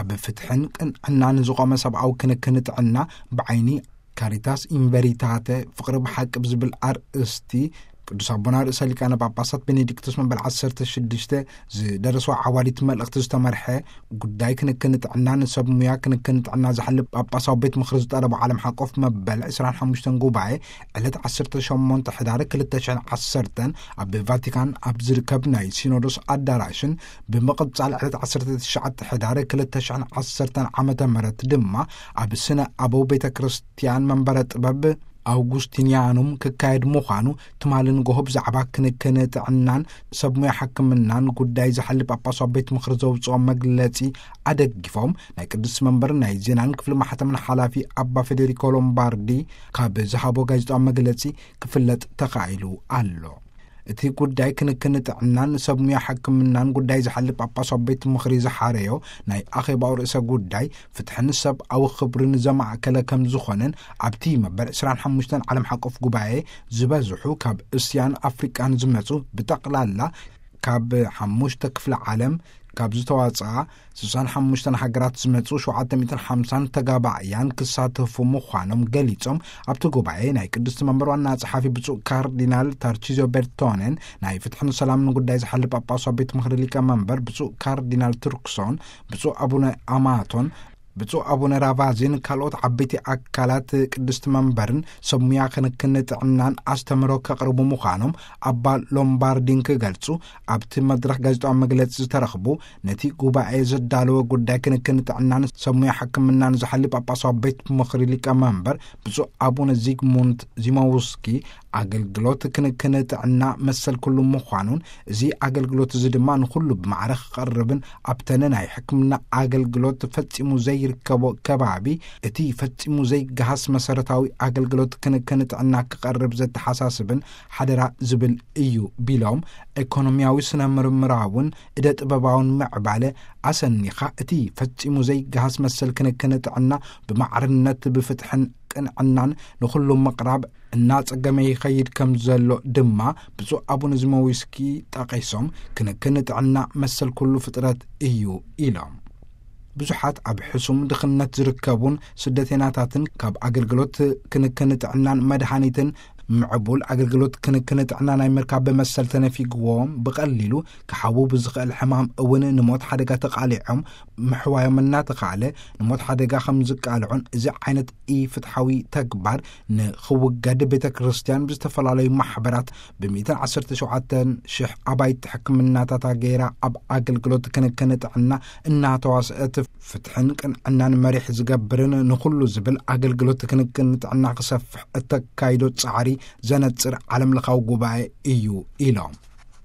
ኣብ ፍትሕን ቅንዕናን ዝቖመ ሰብኣዊ ክንክን ጥዕና ብዓይኒ ካሪታስ ኢንቨሪታተ፣ ፍቕሪ ብሓቂ ብዝብል ኣርእስቲ፣ ቅዱስ ኣቦና ርእሰ ሊቃነ ጳጳሳት ቤኔዲክቶስ መበል ዓሰርተ ሽዱሽተ ዝደረስዎ ዓዋዲት መልእኽቲ ዝተመርሐ፣ ጉዳይ ክንክን ጥዕና ንሰብ ሙያ ክንክን ጥዕና ዝሓልብ ጳጳሳዊ ቤት ምኽሪ ዝጠለቦ ዓለም ሓቆፍ መበል ዕስራን ሓሙሽተን ጉባኤ፣ ዕለት ዓሰርተ ሸሞንተ ሕዳር ክልተ ሽሕን ዓሰርተን ኣብ ቫቲካን ኣብ ዝርከብ ናይ ሲኖዶስ ኣዳራሽን፣ ብምቕጻል ዕለት ዓሰርተ ትሽዓተ ሕዳር ክልተ ሽሕን ዓሰርተን ዓመተ ምህረት ድማ ኣብ ስነ ኣበው ቤተ ክርስቲያን መንበረ ጥበብ ኣውጉስቲንያኑም ክካየድ ምዃኑ ትማሊ ንጎሆ ብዛዕባ ክንክን ጥዕናን ሰብ ሙያ ሕክምናን ጉዳይ ዝሓልብ ጳጳሳዊ ቤት ምኽሪ ዘውፅኦ መግለጺ ኣደጊፎም፣ ናይ ቅዱስ መንበር ናይ ዜናን ክፍሊ ማሕተምን ሓላፊ ኣባ ፌዴሪኮ ሎምባርዲ ካብ ዝሃቦ ጋዜጣዊ መግለጺ ክፍለጥ ተኻኢሉ ኣሎ። እቲ ጉዳይ ክንክን ጥዕናን ሰብ ሙያ ሕክምናን ጉዳይ ዝሓልብ ጳጳሳዊ ቤት ምኽሪ ዝሓረዮ ናይ ኣኼባኡ ርእሰ ጉዳይ ፍትሕን ሰብኣዊ ክብርን ዘማእከለ ከም ዝኾነን፣ ኣብቲ መበል ዕስራን ሓሙሽተን ዓለም ሓቆፍ ጉባኤ ዝበዝሑ ካብ እስያን ኣፍሪቃን ዝመጹ ብጠቕላላ ካብ ሓሙሽተ ክፍለ ዓለም ካብ ዝተዋጽኣ ስሳን ሓሙሽተን ሃገራት ዝመጹ ሸውዓተ ሚእትን ሓምሳን ተጋባእያን ክሳተፉ ምዃኖም ገሊጾም፣ ኣብቲ ጉባኤ ናይ ቅድስቲ መንበር ዋና ጸሓፊ ብፁዕ ካርዲናል ታርቺዚዮ ቤርቶኔን፣ ናይ ፍትሕን ሰላምን ጉዳይ ዝሓልብ ጳጳሳዊ ቤት ምኽሪ ሊቀ መንበር ብፁዕ ካርዲናል ቱርክሶን፣ ብፁዕ ኣቡነ ኣማቶን፣ ብፁዕ ኣቡነ ራቫዚን ካልኦት ዓበይቲ ኣካላት ቅድስቲ መንበርን ሰብ ሙያ ክንክን ጥዕናን ኣስተምህሮ ከቕርቡ ምዃኖም ኣባ ሎምባርዲን ክገልጹ፣ ኣብቲ መድረኽ ጋዜጣዊ መግለጺ ዝተረኽቡ፣ ነቲ ጉባኤ ዘዳለወ ጉዳይ ክንክን ጥዕናን ሰብ ሙያ ሕክምናን ዝሓልብ ጳጳሳዊ ቤት ምኽሪ ሊቀ መንበር ብፁዕ ኣቡነ ዚግሙንት ዚሞውስኪ፣ ኣገልግሎት ክንክን ጥዕና መሰል ኩሉ ምዃኑን፣ እዚ ኣገልግሎት እዚ ድማ ንኹሉ ብማዕረ ክቐርብን ኣብተን ናይ ሕክምና ኣገልግሎት ፈጺሙ ዘይርከቦ ከባቢ እቲ ፈጺሙ ዘይገሃስ መሰረታዊ ኣገልግሎት ክንክን ጥዕና ክቐርብ ዘተሓሳስብን ሓደራ ዝብል እዩ ቢሎም፣ ኢኮኖሚያዊ፣ ስነ ምርምራውን እደ ጥበባውን ምዕባለ ኣሰኒኻ እቲ ፈጺሙ ዘይገሃስ መሰል ክንክን ጥዕና ብማዕርነት ብፍትሕን ቅንዕናን ንኹሉ ምቕራብ እናጸገመ ይኸይድ ከም ዘሎ ድማ ብፁዕ ኣቡነ ዚሞዊስኪ ጠቒሶም፣ ክንክን ጥዕና መሰል ኩሉ ፍጥረት እዩ ኢሎም። ብዙሓት ኣብ ሕሱም ድኽነት ዝርከቡን ስደተኛታትን ካብ ኣገልግሎት ክንክን ጥዕናን መድሃኒትን ምዕቡል ኣገልግሎት ክንክን ጥዕና ናይ ምርካብ መሰል ተነፊግዎም፣ ብቐሊሉ ክሓዉ ብዝኽእል ሕማም እውን ንሞት ሓደጋ ተቓሊዖም፣ ምሕዋዮም እናተኻእለ ንሞት ሓደጋ ከም ዝቃልዑን፣ እዚ ዓይነት ኢፍትሓዊ ተግባር ንኽውገድ ቤተ ክርስቲያን ብዝተፈላለዩ ማሕበራት ብሚእትን ዓሰርተ ሸውዓተን ሽሕ ኣባይቲ ሕክምናታታ ገይራ ኣብ ኣገልግሎት ክንክን ጥዕና እናተዋስአት ፍትሕን ቅንዕናን መሪሕ ዝገብርን ንኹሉ ዝብል ኣገልግሎት ክንክን ጥዕና ክሰፍሕ እተካይዶ ጻዕሪ ዘነጽር ዓለም ለኻዊ ጉባኤ እዩ ኢሎም።